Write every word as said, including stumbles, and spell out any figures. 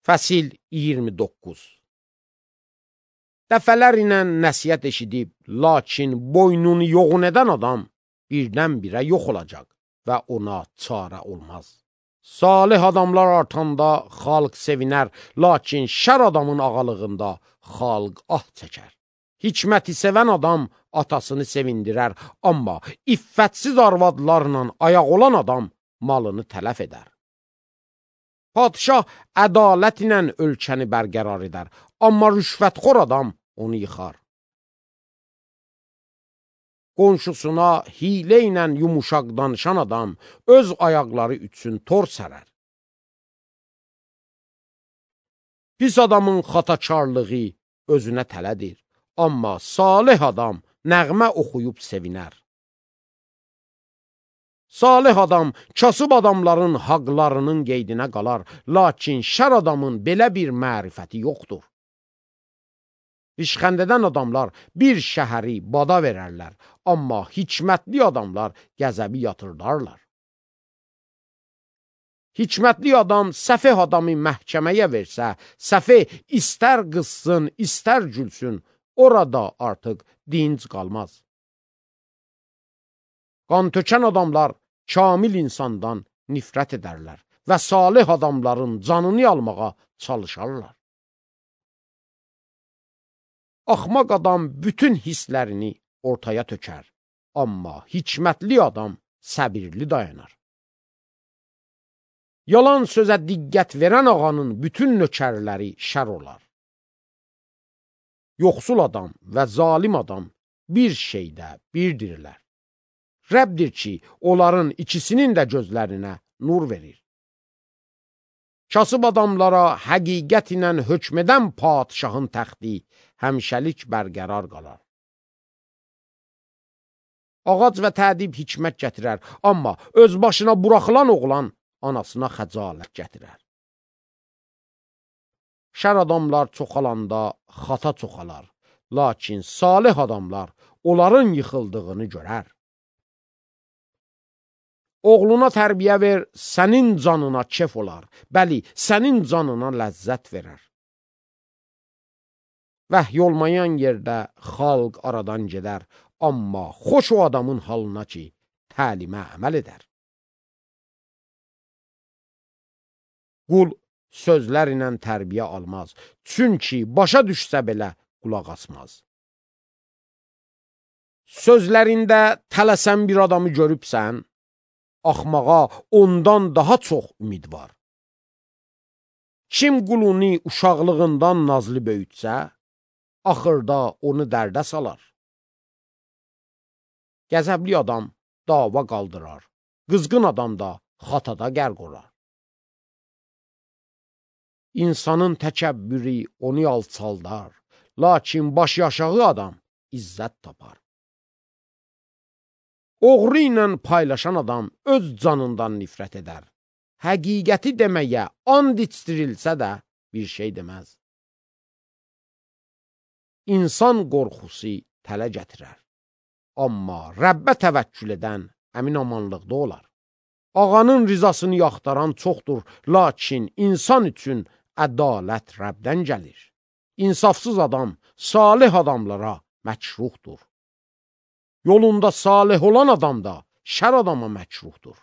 Fəsil iyirmi doqquz. Dəfələr ilə nəsihət eşidib, lakin boynunu yoğun edən adam birdən-birə yox olacaq və ona çarə olmaz. Salih adamlar artanda xalq sevinər, lakin şər adamın ağalığında xalq ah çəkər. Hikməti sevən adam atasını sevindirər, amma iffətsiz arvadlarla ayaq olan adam malını tələf edər. Padişah ədalət ilə ölkəni bərqərar edər, amma rüşvətxor adam onu yıxar. Qonşusuna hilə ilə yumuşaq danışan adam öz ayaqları üçün tor sərər. Pis adamın xatakarlığı özünə tələdir, amma salih adam nəğmə oxuyub sevinər. Salih adam kasıb adamların haqlarının qeydinə qalar, lakin şər adamın belə bir mərifəti yoxdur. İşxəndədən adamlar bir şəhəri bada verərlər, amma hikmətli adamlar qəzəbi yatırdarlar. Hikmətli adam səfeh adamı məhkəməyə versə, səfeh istər qızsın, istər gülsün, orada artıq dinc qalmaz. Qan tökən adamlar kamil insandan nifrət edərlər və salih adamların canını almağa çalışarlar. Axmaq adam bütün hisslərini ortaya tökər, amma hikmətli adam səbirli dayanar. Yalan sözə diqqət verən ağanın bütün nökərləri şər olar. Yoxsul adam və zalim adam bir şeydə birdirlər. Rəbdir ki, onların ikisinin də gözlərinə nur verir. Kasıb adamlara həqiqət ilə hökm edən padişahın təxti həmişəlik bərqərar qalar. Ağac və tədib hikmət gətirər, amma öz başına buraxılan oğlan anasına xəcalət gətirər. Şər adamlar çoxalanda xata çoxalar, lakin salih adamlar onların yıxıldığını görər. Oğluna tərbiyə ver, sənin canına kef olar, bəli, sənin canına ləzzət verər. Vəhy olmayan yerdə xalq aradan gedər, amma xoş o adamın halına ki, təlimə əməl edər. Qul sözlər ilə tərbiyə almaz, çünki başa düşsə belə qulaq asmaz. Sözlərində tələsən bir adamı görübsən, axmağa ondan daha çox ümid var. Kim qulunu uşaqlığından nazlı böyütsə, axırda onu dərdə salar. Qəzəbli adam dava qaldırar, qızğın adam da xatada qərq olar. İnsanın təkəbbürü onu alçaldar, lakin başı aşağı adam izzət tapar. Oğru ilə paylaşan adam öz canından nifrət edər. Həqiqəti deməyə and içdirilsə də bir şey deməz. İnsan qorxusu tələ gətirər. Amma Rəbbə təvəkkül edən əmin amanlıqda olar. Ağanın rizasını yaxtaran çoxdur, lakin insan üçün ədalət Rəbdən gəlir. İnsafsız adam salih adamlara məkruhdur. Yolunda salih olan adam da şər adama məkruhdur.